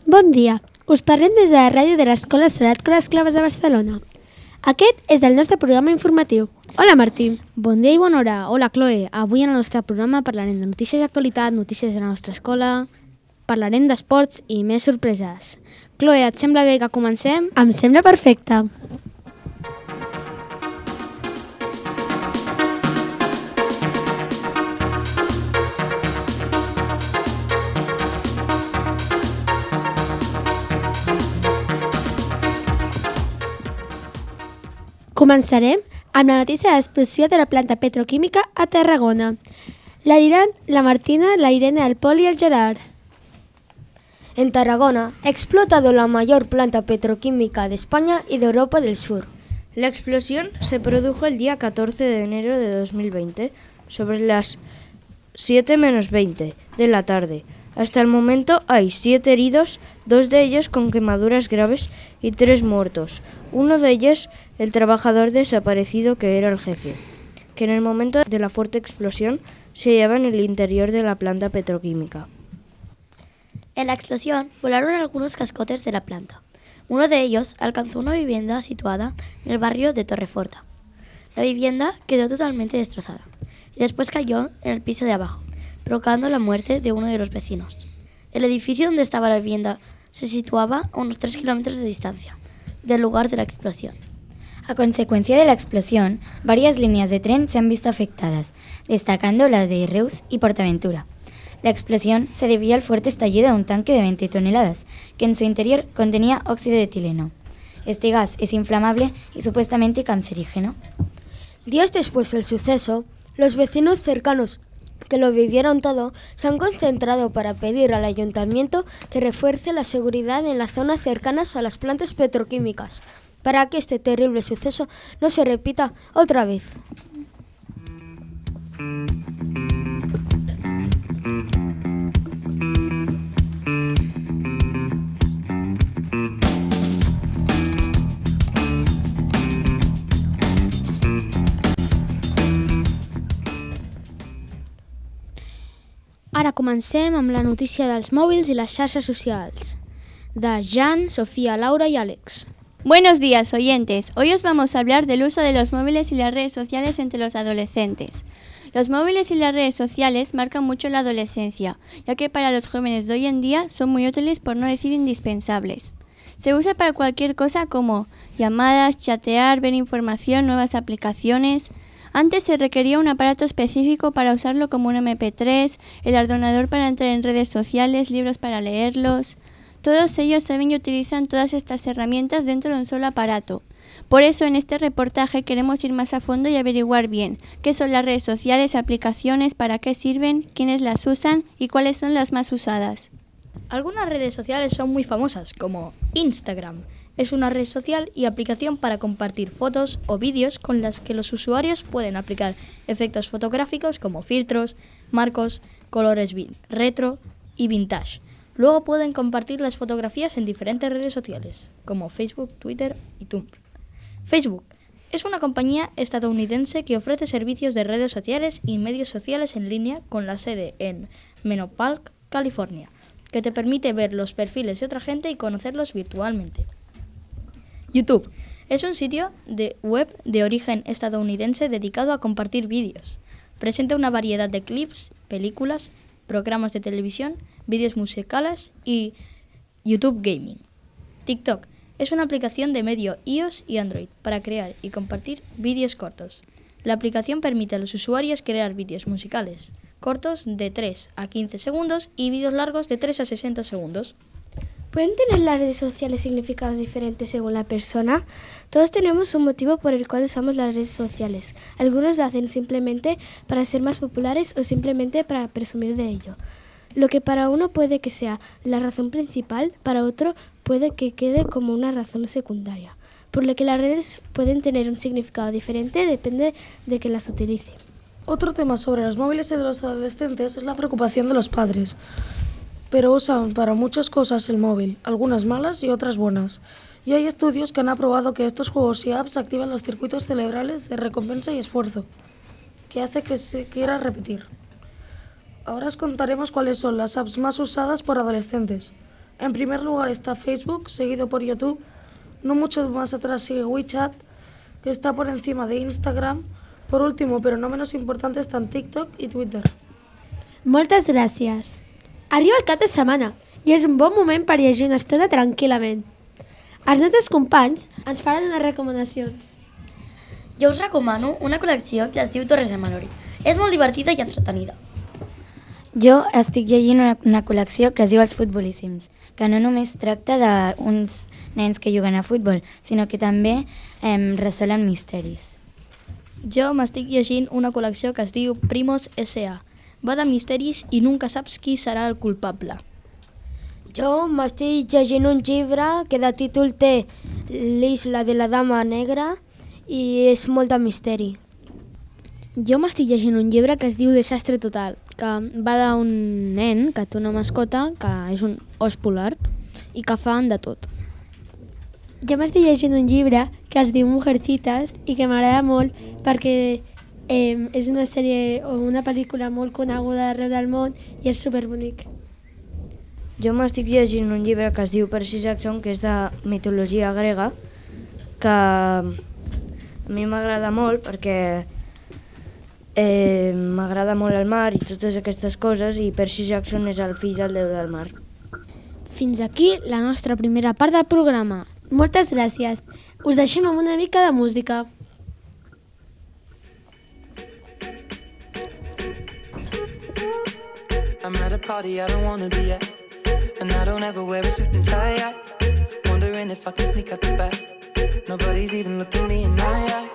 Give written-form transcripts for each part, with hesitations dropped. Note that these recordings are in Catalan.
Bon dia, us parlem des de la ràdio de l'Escola Salat Les Claves de Barcelona. Aquest és el nostre programa informatiu. Hola, Martí. Bon dia i bona hora. Hola, Chloe. Avui en el nostre programa parlarem de notícies d'actualitat, notícies de la nostra escola, parlarem d'esports i més sorpreses. Chloe, et sembla bé que comencem? Em sembla perfecte. Començarem amb la notícia de l'explosió de la planta petroquímica a Tarragona. La diran la Martina, la Irene, el Pol y el Gerard. En Tarragona ha explotado la mayor planta petroquímica de España y de Europa del Sur. La explosión se produjo el día 14 de enero de 2020, sobre las 7:20 de la tarde. Hasta el momento hay 7 heridos, 2 de ellos con quemaduras graves y 3 muertos. Uno de ellos, el trabajador desaparecido que era el jefe, que en el momento de la fuerte explosión se hallaba en el interior de la planta petroquímica. En la explosión volaron algunos cascotes de la planta. Uno de ellos alcanzó una vivienda situada en el barrio de Torreforta. La vivienda quedó totalmente destrozada y después cayó en el piso de abajo, provocando la muerte de uno de los vecinos. El edificio donde estaba la vivienda se situaba a unos 3 kilómetros de distancia del lugar de la explosión. A consecuencia de la explosión, varias líneas de tren se han visto afectadas, destacando la de Reus y Portaventura. La explosión se debió al fuerte estallido de un tanque de 20 toneladas, que en su interior contenía óxido de etileno. Este gas es inflamable y supuestamente cancerígeno. Días después del suceso, los vecinos cercanos que lo vivieron todo se han concentrado para pedir al ayuntamiento que refuerce la seguridad en las zonas cercanas a las plantas petroquímicas, para que este terrible suceso no se repita otra vez. Ara comencem amb la notícia dels mòbils i les xarxes socials, de Jan, Sofía, Laura y Alex. Buenos días, oyentes. Hoy os vamos a hablar del uso de los móviles y las redes sociales entre los adolescentes. Los móviles y las redes sociales marcan mucho la adolescencia, ya que para los jóvenes de hoy en día son muy útiles, por no decir indispensables. Se usa para cualquier cosa como llamadas, chatear, ver información, nuevas aplicaciones. Antes se requería un aparato específico para usarlo, como un MP3, el ordenador para entrar en redes sociales, libros para leerlos. Todos ellos saben y utilizan todas estas herramientas dentro de un solo aparato. Por eso en este reportaje queremos ir más a fondo y averiguar bien qué son las redes sociales, aplicaciones, para qué sirven, quiénes las usan y cuáles son las más usadas. Algunas redes sociales son muy famosas, como Instagram. Es una red social y aplicación para compartir fotos o vídeos con las que los usuarios pueden aplicar efectos fotográficos como filtros, marcos, colores retro y vintage. Luego pueden compartir las fotografías en diferentes redes sociales, como Facebook, Twitter y Tumblr. Facebook es una compañía estadounidense que ofrece servicios de redes sociales y medios sociales en línea con la sede en Menlo Park, California, que te permite ver los perfiles de otra gente y conocerlos virtualmente. YouTube es un sitio de web de origen estadounidense dedicado a compartir vídeos. Presenta una variedad de clips, películas, programas de televisión, vídeos musicales y YouTube Gaming. TikTok es una aplicación de medio iOS y Android para crear y compartir vídeos cortos. La aplicación permite a los usuarios crear vídeos musicales cortos de 3 a 15 segundos y vídeos largos de 3 a 60 segundos. ¿Pueden tener las redes sociales significados diferentes según la persona? Todos tenemos un motivo por el cual usamos las redes sociales. Algunos lo hacen simplemente para ser más populares o simplemente para presumir de ello. Lo que para uno puede que sea la razón principal, para otro puede que quede como una razón secundaria. Por lo que las redes pueden tener un significado diferente, depende de que las utilice. Otro tema sobre los móviles y de los adolescentes es la preocupación de los padres. Pero usan para muchas cosas el móvil, algunas malas y otras buenas. Y hay estudios que han aprobado que estos juegos y apps activan los circuitos cerebrales de recompensa y esfuerzo, que hace que se quiera repetir. Ahora os contaremos cuáles son las apps más usadas por adolescentes. En primer lugar está Facebook, seguido por YouTube. No mucho más atrás sigue WeChat, que está por encima de Instagram. Por último, pero no menos importante, están TikTok i Twitter. Moltes gràcies. Arriba el cap de setmana i és un bon moment per llegir una estona tranquil·lament. Els nostres companys ens faran unes recomanacions. Jo us recomano una col·lecció que es diu Torres de Malori. És molt divertida i entretenida. Jo estic llegint una col·lecció que es diu Els Futbolíssims, que no només tracta d'uns nens que juguen a futbol, sinó que també resolen misteris. Jo m'estic llegint una col·lecció que es diu Primos S.A. Va de misteris i nunca saps qui serà el culpable. Jo m'estic llegint un llibre que de títol té L'Isla de la Dama Negra i és molt de misteri. Jo m'estic llegint un llibre que es diu Desastre Total, que va d'un nen que té una mascota que és un os polar i que fan de tot. Jo m'estic llegint un llibre que es diu Mujercitas i que m'agrada molt perquè és una sèrie o una pel·lícula molt coneguda arreu del món i és superbonic. Jo m'estic llegint un llibre que es diu Percy Jackson, que és de mitologia grega, que a mi m'agrada molt perquè m'agrada molt el mar i totes aquestes coses, i Percy Jackson és el fill del déu del mar. Fins aquí la nostra primera part del programa. Moltes gràcies. Us deixem amb una mica de música. I'm at a party I don't wanna be at, and I don't ever wear a suit and tie yet. Wondering if I can sneak out the back. Nobody's even looking me in my eyes.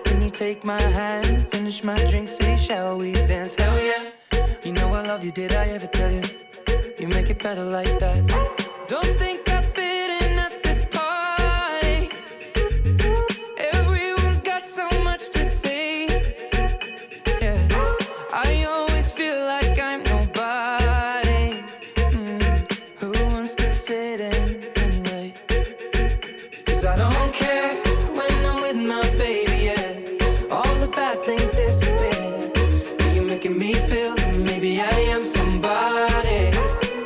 Can you take my hand, finish my drink, say shall we dance? Hell yeah. You know I love you, did I ever tell you? You make it better like that. Don't think I fit in at this party. Everyone's got so much to say. Yeah, I always feel like I'm nobody. Who wants to fit in anyway? 'Cause I don't care when I'm with my baby, yeah. All the bad things disappear. You're making me feel that maybe I am somebody.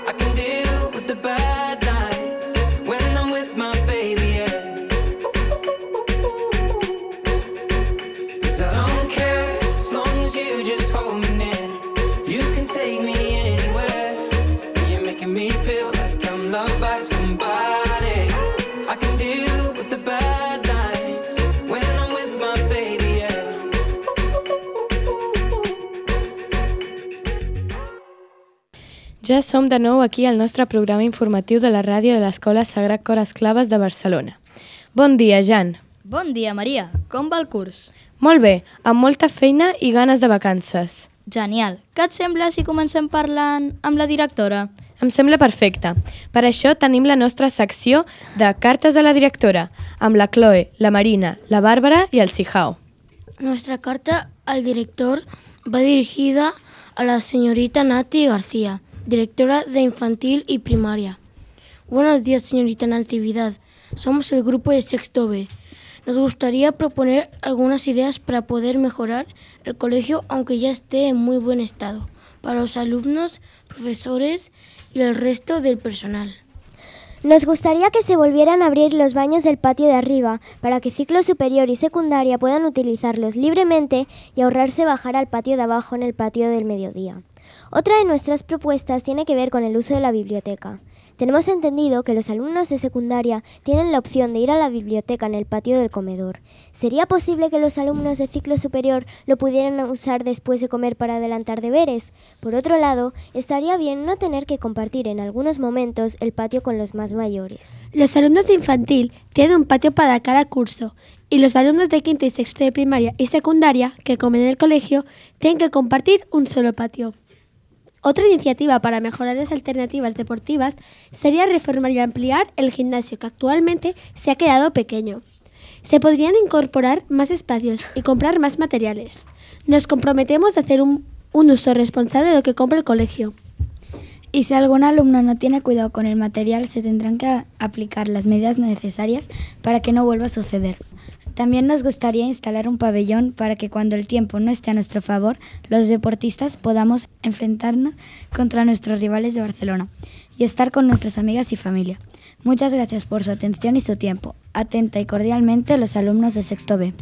I can deal with the bad nights when I'm with my baby, yeah. 'Cause I don't care as long as you just hold me near. You can take me anywhere. You're making me feel like I'm loved by somebody. I can deal with the bad nights when I'm with my baby, yeah. Ja som de nou aquí al nostre programa informatiu de la ràdio de l'Escola Sagrat Cor Esclaves de Barcelona. Bon dia, Jan. Bon dia, Maria. Com va el curs? Molt bé, amb molta feina i ganes de vacances. Genial. Què et sembla si comencem parlant amb la directora? Em sembla perfecte. Per això tenim la nostra secció de Cartes a la directora, amb la Chloe, la Marina, la Bàrbara i el Sijao. Nuestra carta al director va dirigida a la señorita Nati García, directora de Infantil y Primaria. Buenos días, señorita Natividad. Somos el grupo de Sexto B. Nos gustaría proponer algunas ideas para poder mejorar el colegio, aunque ya esté en muy buen estado, para los alumnos, profesores y el resto del personal. Nos gustaría que se volvieran a abrir los baños del patio de arriba para que ciclo superior y secundaria puedan utilizarlos libremente y ahorrarse bajar al patio de abajo en el patio del mediodía. Otra de nuestras propuestas tiene que ver con el uso de la biblioteca. Tenemos entendido que los alumnos de secundaria tienen la opción de ir a la biblioteca en el patio del comedor. ¿Sería posible que los alumnos de ciclo superior lo pudieran usar después de comer para adelantar deberes? Por otro lado, estaría bien no tener que compartir en algunos momentos el patio con los más mayores. Los alumnos de infantil tienen un patio para cada curso y los alumnos de quinto y sexto de primaria y secundaria que comen en el colegio tienen que compartir un solo patio. Otra iniciativa para mejorar las alternativas deportivas sería reformar y ampliar el gimnasio, que actualmente se ha quedado pequeño. Se podrían incorporar más espacios y comprar más materiales. Nos comprometemos a hacer un uso responsable de lo que compra el colegio. Y si algún alumno no tiene cuidado con el material, se tendrán que aplicar las medidas necesarias para que no vuelva a suceder. También nos gustaría instalar un pabellón para que cuando el tiempo no esté a nuestro favor, los deportistas podamos enfrentarnos contra nuestros rivales de Barcelona y estar con nuestras amigas y familia. Muchas gracias por su atención y su tiempo. Atenta y cordialmente los alumnos de sexto B.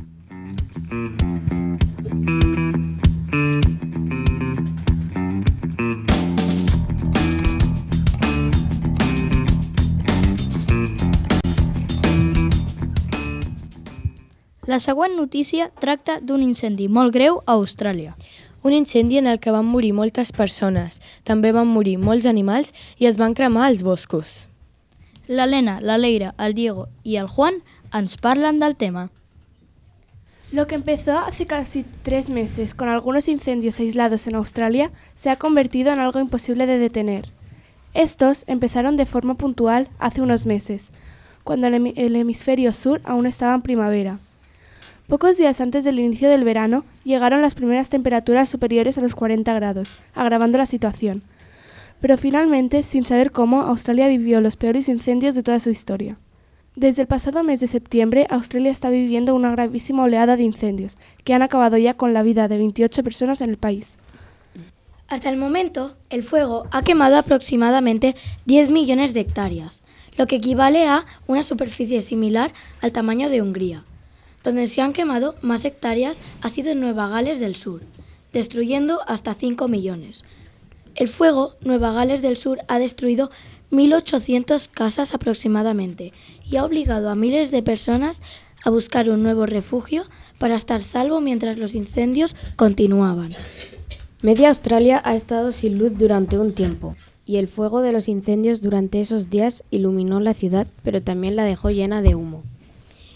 La següent notícia tracta d'un incendi molt greu a Austràlia. Un incendi en el que van morir moltes persones, també van morir molts animals i es van cremar els boscos. L'Helena, la Leira, el Diego y el Juan ens parlen del tema. Lo que empezó hace casi 3 meses con algunos incendios aislados en Australia se ha convertido en algo imposible de detener. Estos empezaron de forma puntual hace unos meses, cuando el hemisferio sur aún estaba en primavera. Pocos días antes del inicio del verano llegaron las primeras temperaturas superiores a los 40 grados, agravando la situación. Pero finalmente, sin saber cómo, Australia vivió los peores incendios de toda su historia. Desde el pasado mes de septiembre, Australia está viviendo una gravísima oleada de incendios, que han acabado ya con la vida de 28 personas en el país. Hasta el momento, el fuego ha quemado aproximadamente 10 millones de hectáreas, lo que equivale a una superficie similar al tamaño de Hungría. Donde se han quemado más hectáreas ha sido en Nueva Gales del Sur, destruyendo hasta 5 millones. El fuego, Nueva Gales del Sur ha destruido 1.800 casas aproximadamente y ha obligado a miles de personas a buscar un nuevo refugio para estar salvo mientras los incendios continuaban. Media Australia ha estado sin luz durante un tiempo y el fuego de los incendios durante esos días iluminó la ciudad, pero también la dejó llena de humo.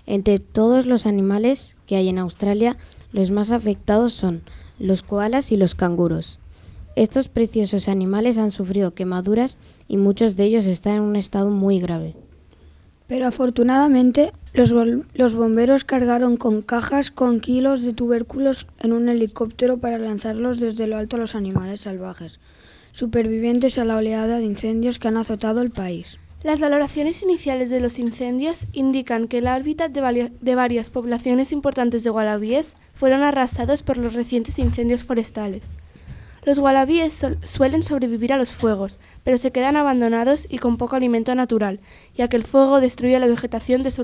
Entre todos los animales que hay en Australia, los más afectados son los koalas y los canguros. Estos preciosos animales han sufrido quemaduras y muchos de ellos están en un estado muy grave. Pero afortunadamente, los bomberos cargaron con cajas con kilos de tubérculos en un helicóptero para lanzarlos desde lo alto a los animales salvajes, supervivientes a la oleada de incendios que han azotado el país. Las valoraciones iniciales de los incendios indican que el hábitat de varias poblaciones importantes de wallabies fueron arrasados por los recientes incendios forestales. Los wallabies suelen sobrevivir a los fuegos, pero se quedan abandonados y con poco alimento natural, ya que el fuego destruye la vegetación de su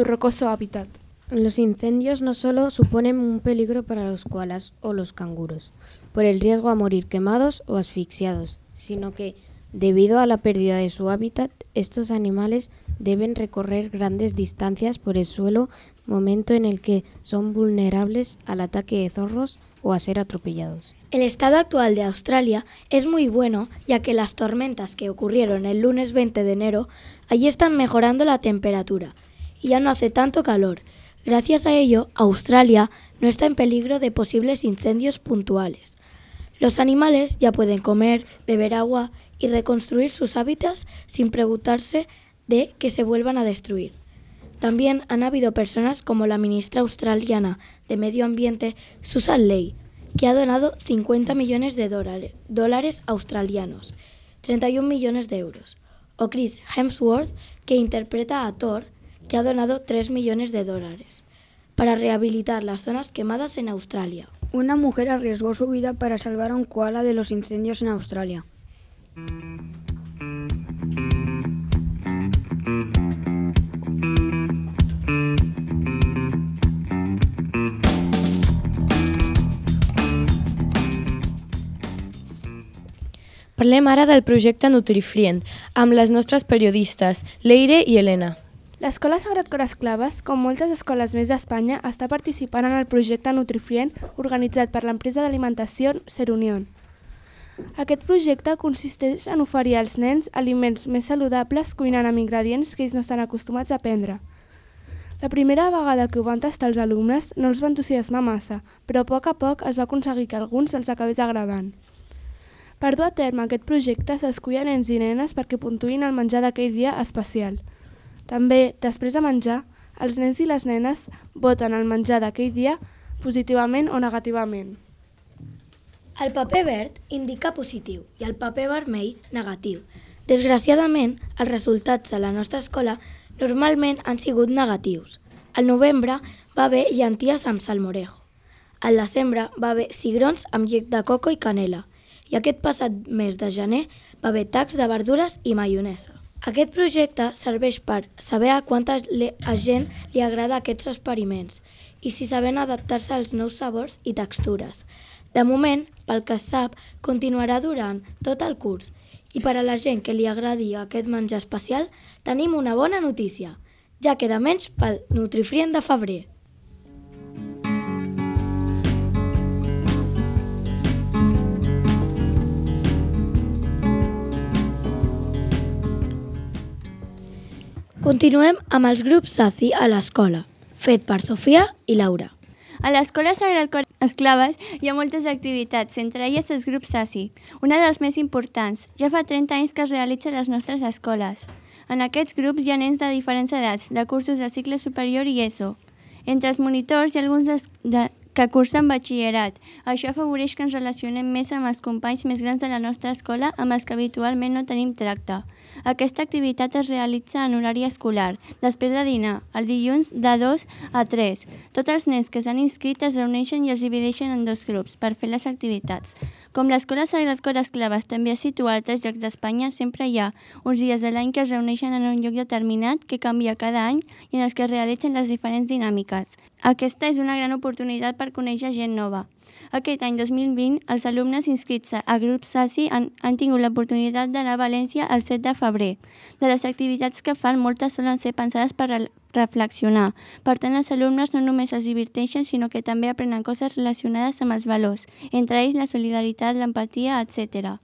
rocoso hábitat. Los incendios no solo suponen un peligro para los koalas o los canguros, por el riesgo a morir quemados o asfixiados, sino que, debido a la pérdida de su hábitat, estos animales deben recorrer grandes distancias por el suelo, momento en el que son vulnerables al ataque de zorros o a ser atropellados. El estado actual de Australia es muy bueno, ya que las tormentas que ocurrieron el lunes 20 de enero allí están mejorando la temperatura y ya no hace tanto calor. Gracias a ello, Australia no está en peligro de posibles incendios puntuales. Los animales ya pueden comer, beber agua y reconstruir sus hábitats sin preocuparse de que se vuelvan a destruir. También han habido personas como la ministra australiana de Medio Ambiente, Susan Ley, que ha donado 50 millones de dólares australianos, 31 millones de euros, o Chris Hemsworth, que interpreta a Thor, que ha donado 3 millones de dólares, para rehabilitar las zonas quemadas en Australia. Una mujer arriesgó su vida para salvar a un koala de los incendios en Australia. Parlem ara del projecte Nutrifrient, amb les nostres periodistes, Leire i Helena. L'Escola Sagrat Cor Esclaves, com moltes escoles més d'Espanya, està participant en el projecte Nutrifrient organitzat per l'empresa d'alimentació Ser Unión. Aquest projecte consisteix en oferir als nens aliments més saludables cuinant amb ingredients que ells no estan acostumats a prendre. La primera vegada que ho van tastar els alumnes no els va entusiasmar massa, però a poc es va aconseguir que alguns els acabés agradant. Per dur a terme aquest projecte s'escullen nens i nenes perquè puntuïn el menjar d'aquell dia especial. També, després de menjar, els nens i les nenes voten el menjar d'aquell dia positivament o negativament. El paper verd indica positiu i el paper vermell negatiu. Desgraciadament, els resultats a la nostra escola normalment han sigut negatius. Al novembre va haver llenties amb salmorejo. Al desembre va haver cigrons amb llet de coco i canela. I aquest passat mes de gener va haver tacs de verdures i maionesa. Aquest projecte serveix per saber a quanta gent li agrada aquests experiments i si saben adaptar-se als nous sabors i textures. De moment, pel que es sap, continuarà durant tot el curs. I per a la gent que li agradi aquest menjar especial, tenim una bona notícia. Ja queda menys pel Nutrifrient de febrer. Continuem amb els grups SACI a l'escola, fet per Sofia i Laura. A l'Escola Sagrat Cor Esclaves hi ha moltes activitats, entre elles els grups SACI, una de les més importants. Ja fa 30 anys que es realitza a les nostres escoles. En aquests grups hi ha nens de diferents edats, de cursos de cicle superior i ESO. Entre els monitors hi ha alguns que cursen batxillerat. Això afavoreix que ens relacionem més amb els companys més grans de la nostra escola amb els que habitualment no tenim tracte. Aquesta activitat es realitza en horari escolar, després de dinar, el dilluns de 2 a 3. Tots els nens que s'han inscrit es reuneixen i es divideixen en 2 grups per fer les activitats. Com l'Escola Sagrat Cor Esclaves també es situa a altres llocs d'Espanya, sempre hi ha uns dies de l'any que es reuneixen en un lloc determinat que canvia cada any i en els que es realitzen les diferents dinàmiques. Aquesta és una gran oportunitat per conèixer gent nova. Aquest any 2020, els alumnes inscrits a grups SACI han tingut l'oportunitat d'anar a València el 7 de febrer. De les activitats que fan, moltes solen ser pensades per reflexionar. Per tant, els alumnes no només es diverteixen, sinó que també aprenen coses relacionades amb els valors, entre ells la solidaritat, l'empatia, etc.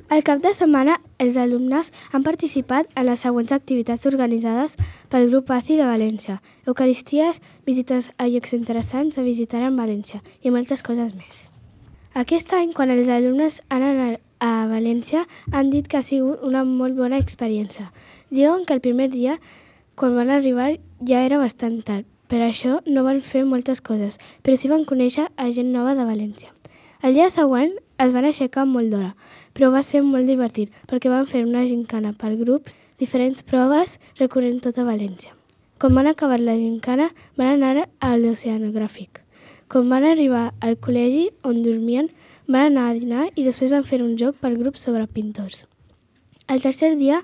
Al cap de setmana, els alumnes han participat en les següents activitats organitzades pel grup ACI de València: eucaristies, visites a llocs interessants a visitar en València i moltes coses més. Aquest any, quan els alumnes han anat a València, han dit que ha sigut una molt bona experiència. Diuen que el primer dia, quan van arribar, ja era bastant tard. Per això no van fer moltes coses, però sí van conèixer a gent nova de València. El dia següent es van aixecar molt d'hora, però va ser molt divertit perquè van fer una gincana per grups, diferents proves recorrent tota València. Quan van acabar la gincana, van anar a l'oceanogràfic. Quan van arribar al col·legi on dormien, van anar a dinar i després van fer un joc per grups sobre pintors. El tercer dia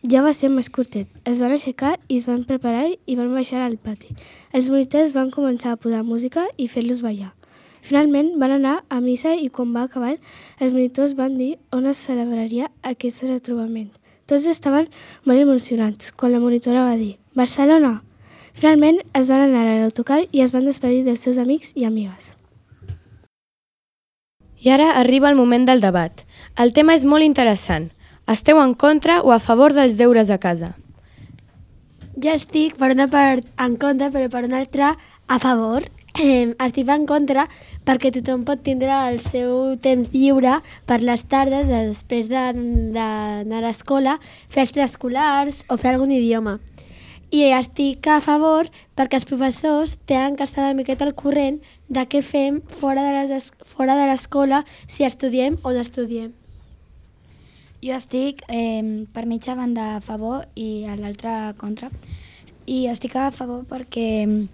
ja va ser més curtet. Es van aixecar i es van preparar i van baixar al pati. Els monitors van començar a posar música i fer-los ballar. Finalment van anar a missa i quan va acabar, els monitors van dir on es celebraria aquest retrobament. Tots estaven molt emocionats quan la monitora va dir «Barcelona!». Finalment es van anar a l'autocar i es van despedir dels seus amics i amigues. I ara arriba el moment del debat. El tema és molt interessant. Esteu en contra o a favor dels deures a casa? Jo estic per una part en contra, però per una altra a favor. Estic en contra perquè tothom pot tindre el seu temps lliure per les tardes després d'anar a l'escola, fer extraescolars o fer algun idioma. I estic a favor perquè els professors tenen que estar una miqueta al corrent de què fem fora de l'escola, si estudiem o no estudiem. Jo estic per mitja banda a favor i a l'altra contra. I estic a favor perquè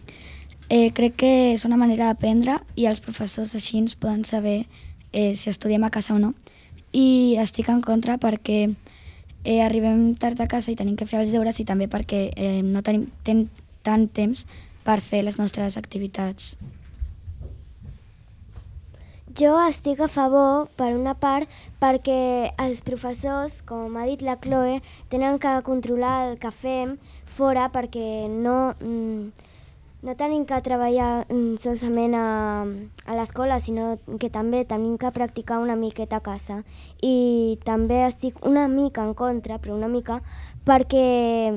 crec que és una manera d'aprendre i els professors així ens poden saber si estudiem a casa o no. I estic en contra perquè arribem tard a casa i tenim que fer els deures i també perquè no tenim tant temps per fer les nostres activitats. Jo estic a favor, per una part, perquè els professors, com ha dit la Chloe, tenen que controlar el que fem fora perquè no tenim que treballar solament a l'escola, sinó que també tenim que practicar una miqueta a casa. I també estic una mica en contra, però una mica, perquè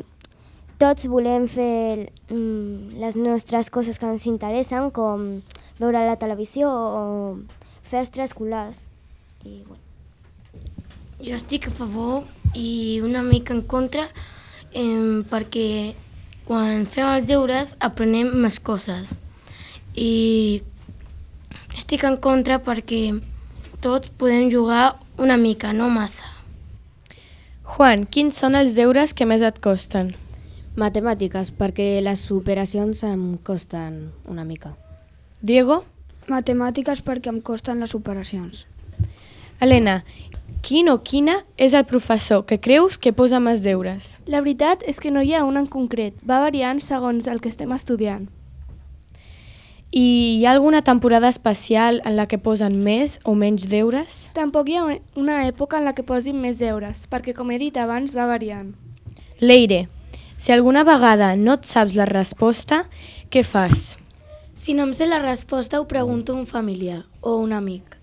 tots volem fer les nostres coses que ens interessen, com veure la televisió o fer extraescolars. Jo estic a favor i una mica en contra perquè quan fem els deures aprenem més coses. I estic en contra perquè tots podem jugar una mica, no massa. Juan, quins són els deures que més et costen? Matemàtiques, perquè les operacions em costen una mica. Diego? Matemàtiques perquè em costen les operacions. Helena, quin o quina és el professor que creus que posa més deures? La veritat és que no hi ha un en concret, va variant segons el que estem estudiant. I hi ha alguna temporada especial en la que posen més o menys deures? Tampoc hi ha una època en la que posin més deures, perquè com he dit abans va variant. Leire, si alguna vegada no et saps la resposta, què fas? Si no em sé la resposta ho pregunto a un familiar o un amic.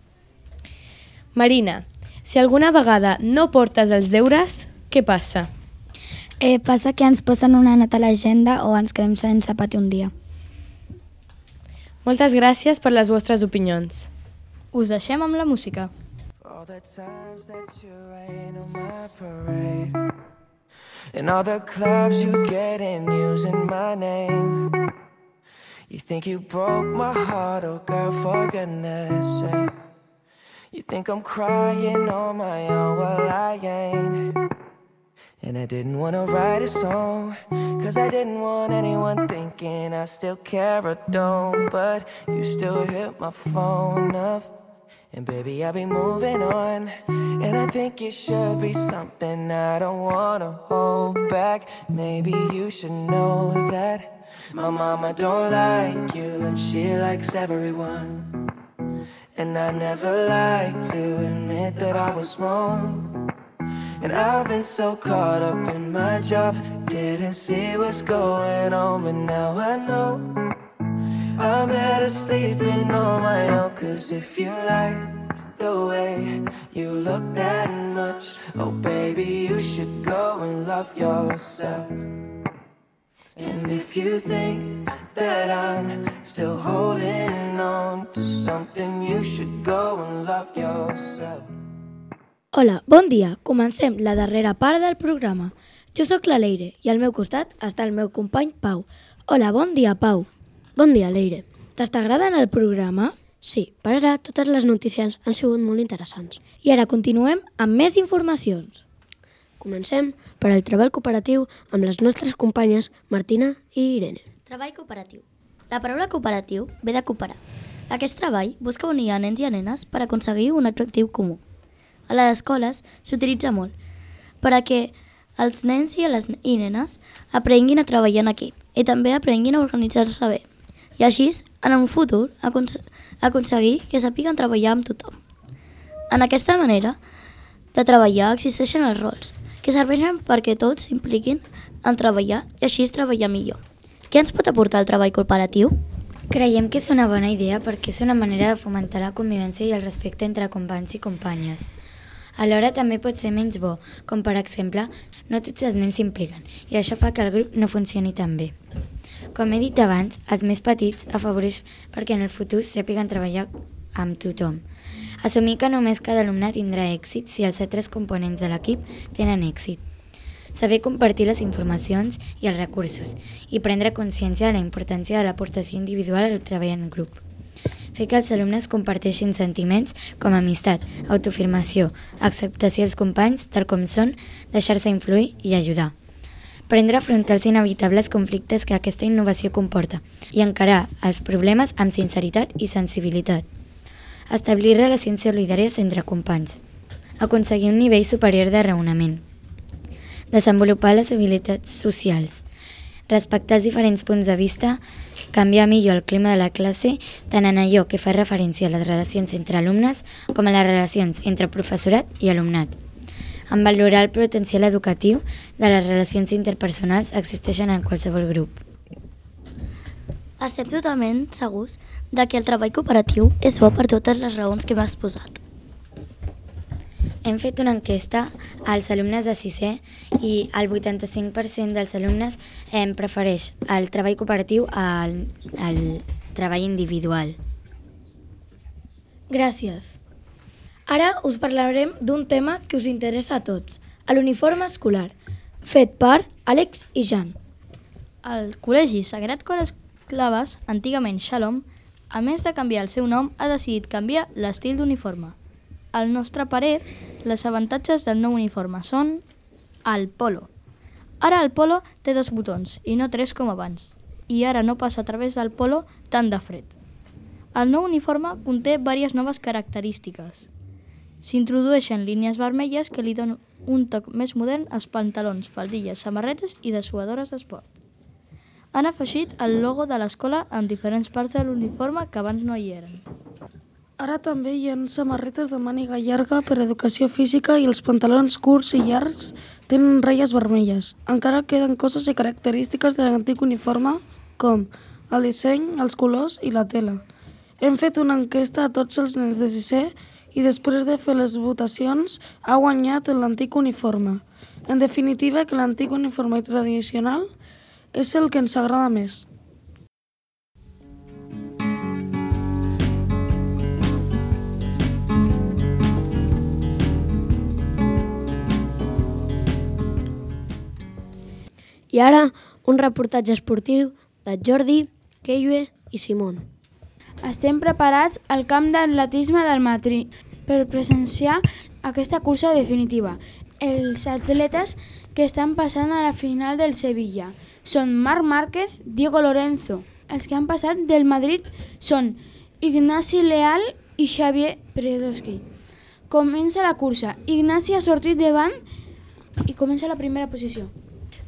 Marina, si alguna vegada no portes els deures, què passa? Passa que ens posen una nota a l'agenda o ens quedem sense pati un dia. Moltes gràcies per les vostres opinions. Us deixem amb la música. All the times that you rain on my parade, and all the clubs you get in using my name. You think you broke my heart, oh girl, for goodness sake. You think I'm crying on my own, well I ain't. And I didn't want to write a song, cause I didn't want anyone thinking I still care or don't. But you still hit my phone up, and baby I'll be moving on. And I think it should be something I don't want to hold back. Maybe you should know that my mama don't like you and she likes everyone. And I never like to admit that I was wrong. And I've been so caught up in my job, didn't see what's going on, but now I know I'm better sleeping on my own. Cause if you like the way you look that much, oh baby, you should go and love yourself. And if you think that I'm still holding on to something, you should go and love yourself. Hola, bon dia. Comencem la darrera part del programa. Jo sóc la Leire i al meu costat està el meu company Pau. Hola, bon dia, Pau. Bon dia, Leire. T'està agradant el programa? Sí, per ara totes les notícies han sigut molt interessants. I ara continuem amb més informacions. Comencem per al treball cooperatiu amb les nostres companyes Martina i Irene. Treball cooperatiu. La paraula cooperatiu ve de cooperar. Aquest treball busca unir a nens i a nenes per aconseguir un objectiu comú. A les escoles s'utilitza molt perquè els nens i nenes aprenguin a treballar en equip i també aprenguin a organitzar-se bé i així, en un futur, aconseguir que sàpiguen treballar amb tothom. En aquesta manera de treballar existeixen els rols que serveixen perquè tots s'impliquin en treballar i així treballar millor. Què ens pot aportar el treball cooperatiu? Creiem que és una bona idea perquè és una manera de fomentar la convivència i el respecte entre companys i companyes. Alhora també pot ser menys bo, com per exemple, no tots els nens s'impliquen i això fa que el grup no funcioni tan bé. Com he dit abans, els més petits afavoreix perquè en el futur sàpiguen treballar amb tothom. Assumir que només cada alumne tindrà èxit si els altres components de l'equip tenen èxit. Saber compartir les informacions i els recursos i prendre consciència de la importància de l'aportació individual al treball en grup. Fer que els alumnes comparteixin sentiments com amistat, autoafirmació, acceptació dels companys tal com són, deixar-se influir i ajudar. Prendre a afrontar els inevitables conflictes que aquesta innovació comporta i encarar els problemes amb sinceritat i sensibilitat. Establir relacions solidàries entre companys. Aconseguir un nivell superior de raonament. Desenvolupar les habilitats socials. Respectar els diferents punts de vista, canviar millor el clima de la classe, tant en allò que fa referència a les relacions entre alumnes com a les relacions entre professorat i alumnat. En valorar el potencial educatiu de les relacions interpersonals existeixen en qualsevol grup. Estem totalment segurs de que el treball cooperatiu és bo per totes les raons que m'has posat. Hem fet una enquesta als alumnes de 6è i el 85% dels alumnes prefereix el treball cooperatiu al treball individual. Gràcies. Ara us parlarem d'un tema que us interessa a tots, l'uniforme escolar, fet per Àlex i Jan. El Col·legi Sagrat Cor Claves, antigament Shalom, a més de canviar el seu nom, ha decidit canviar l'estil d'uniforme. Al nostre parer, els avantatges del nou uniforme són el polo. Ara el polo té 2 botons i no 3 com abans, i ara no passa a través del polo tant de fred. El nou uniforme conté diverses noves característiques. S'introdueixen línies vermelles que li donen un toc més modern als pantalons, faldilles, samarretes i dessuadores d'esport. Han afegit el logo de l'escola en diferents parts de l'uniforme que abans no hi eren. Ara també hi ha samarretes de màniga llarga per a educació física i els pantalons curts i llargs tenen ratlles vermelles. Encara queden coses i característiques de l'antic uniforme com el disseny, els colors i la tela. Hem fet una enquesta a tots els nens de 6è i després de fer les votacions ha guanyat l'antic uniforme. En definitiva, que l'antic uniforme tradicional és el que ens agrada més. I ara, un reportatge esportiu de Jordi, Keiyue i Simón. Estem preparats al camp d'atletisme del Madrid per presenciar aquesta cursa definitiva. Els atletes que estan passant a la final del Sevilla són Marc Márquez, Diego Lorenzo. Els que han passat del Madrid són Ignasi Leal i Xavier Predowski. Comença la cursa. Ignasi ha sortit davant i comença la primera posició.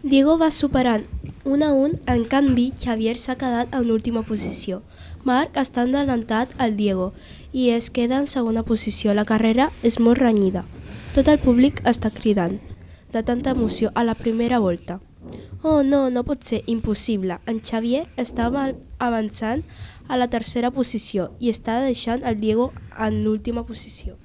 Diego va superant 1 a 1, en canvi Xavier s'ha quedat en última posició. Marc està endelantat al Diego i es queda en segona posició. La carrera és molt renyida. Tot el públic està cridant, de tanta emoció a la primera volta. Oh no, no pot ser, impossible. En Xavier estava avançant a la tercera posició i està deixant el Diego en l'última posició.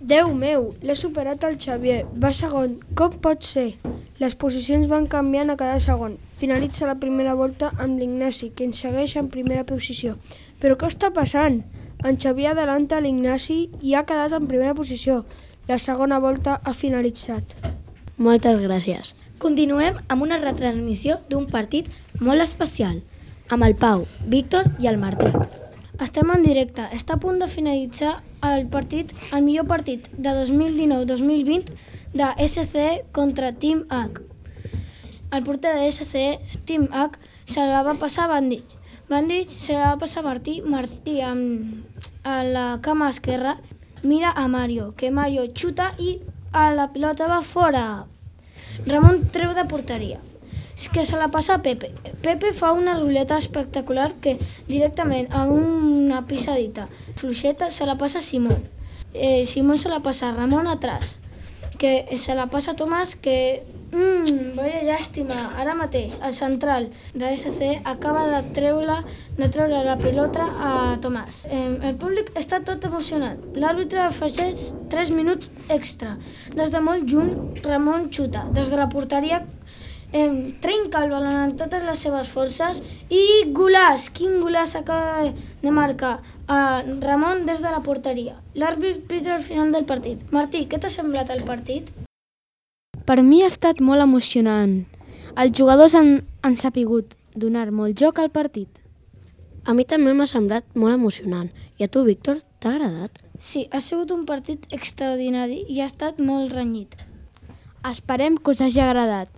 Déu meu, l'he superat el Xavier. Va segon. Com pot ser? Les posicions van canviant a cada segon. Finalitza la primera volta amb l'Ignasi, que ens segueix en primera posició. Però què està passant? En Xavier adelanta l'Ignasi i ha quedat en primera posició. La segona volta ha finalitzat. Moltes gràcies. Continuem amb una retransmissió d'un partit molt especial, amb el Pau, Víctor i el Martí. Estem en directe. Està a punt de finalitzar el millor partit de 2019-2020 de SCE contra Team H. El porter de SCE, Team H, se la va passar a Bandich. Bandich se la va passar a Martí. Martí a la cama esquerra mira a Mario, que Mario xuta i a la pilota va fora. Ramon treu de porteria, que se la passa a Pepe. Pepe fa una ruleta espectacular que directament a una pisadita fluixeta se la passa a Simón. Simón se la passa a Ramon atrás, que se la passa a Tomàs, que vaya llàstima, ara mateix el central de SC acaba de treure la pilota a Tomàs. El públic està tot emocionat. L'àrbitre afegeix 3 minuts extra. Des de molt lluny, Ramon xuta. Des de la porteria trenca el balon amb totes les seves forces i golaç! Quin golaç acaba de marcar Ramon des de la porteria. L'àrbitre pita al final del partit. Martí, què t'ha semblat el partit? Per mi ha estat molt emocionant. Els jugadors han sapigut donar molt joc al partit. A mi també m'ha semblat molt emocionant. I a tu, Víctor, t'ha agradat? Sí, ha sigut un partit extraordinari i ha estat molt renyit. Esperem que us hagi agradat.